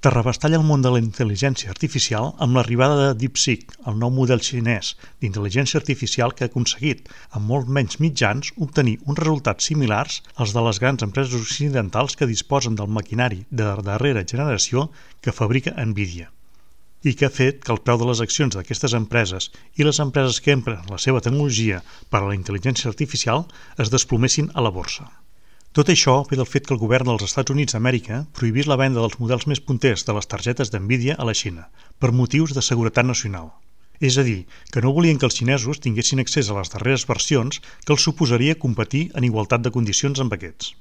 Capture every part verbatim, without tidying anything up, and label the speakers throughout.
Speaker 1: Terrabastalla el món de la intel·ligència artificial amb l'arribada de DeepSeek, el nou model xinès d'intel·ligència artificial que ha aconseguit, amb molt menys mitjans, obtenir uns resultats similars als de les grans empreses occidentals que disposen del maquinari de darrera generació que fabrica Nvidia, i que ha fet que el preu de les accions d'aquestes empreses i les empreses que empren la seva tecnologia per a la intel·ligència artificial es desplomessin a la borsa. Tot això ve del fet que el govern dels Estats Units d'Amèrica prohibís la venda dels models més punters de les targetes d'Nvidia a la Xina, per motius de seguretat nacional. És a dir, que no volien que els xinesos tinguessin accés a les darreres versions que els suposaria competir en igualtat de condicions amb aquests.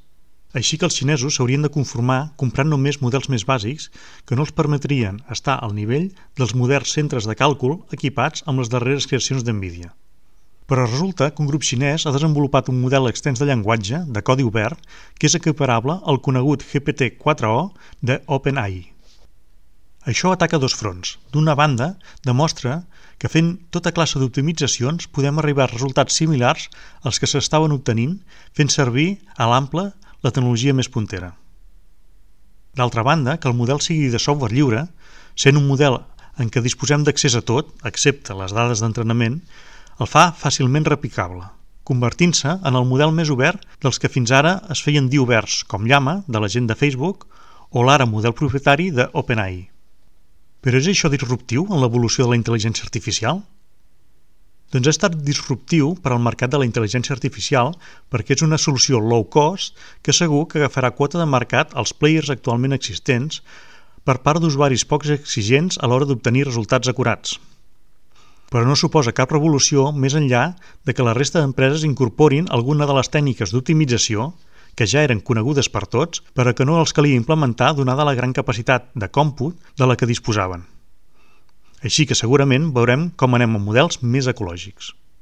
Speaker 1: Així que els xinesos s'haurien de conformar comprant només models més bàsics que no els permetrien estar al nivell dels moderns centres de càlcul equipats amb les darreres creacions d'Nvidia. Però resulta que un grup xinès ha desenvolupat un model extens de llenguatge, de codi obert, que és equiparable al conegut G P T quatre o de OpenAI. Això ataca dos fronts. D'una banda, demostra que fent tota classe d'optimitzacions podem arribar a resultats similars als que s'estaven obtenint fent servir a l'ample la tecnologia més puntera. D'altra banda, que el model sigui de software lliure, sent un model en què disposem d'accés a tot, excepte les dades d'entrenament, el fa fàcilment replicable, convertint-se en el model més obert dels que fins ara es feien dir oberts, com Llama, de la gent de Facebook, o l'ara model propietari de OpenAI. Però és això disruptiu en l'evolució de la intel·ligència artificial? Doncs ha estat disruptiu per al mercat de la intel·ligència artificial perquè és una solució low cost que segur que agafarà quota de mercat als players actualment existents per part d'usuaris poc exigents a l'hora d'obtenir resultats acurats. Però no suposa cap revolució més enllà de que la resta d'empreses incorporin alguna de les tècniques d'optimització que ja eren conegudes per tots, però que no els calia implementar donada la gran capacitat de còmput de la que disposaven. Així que segurament veurem com anem a models més ecològics.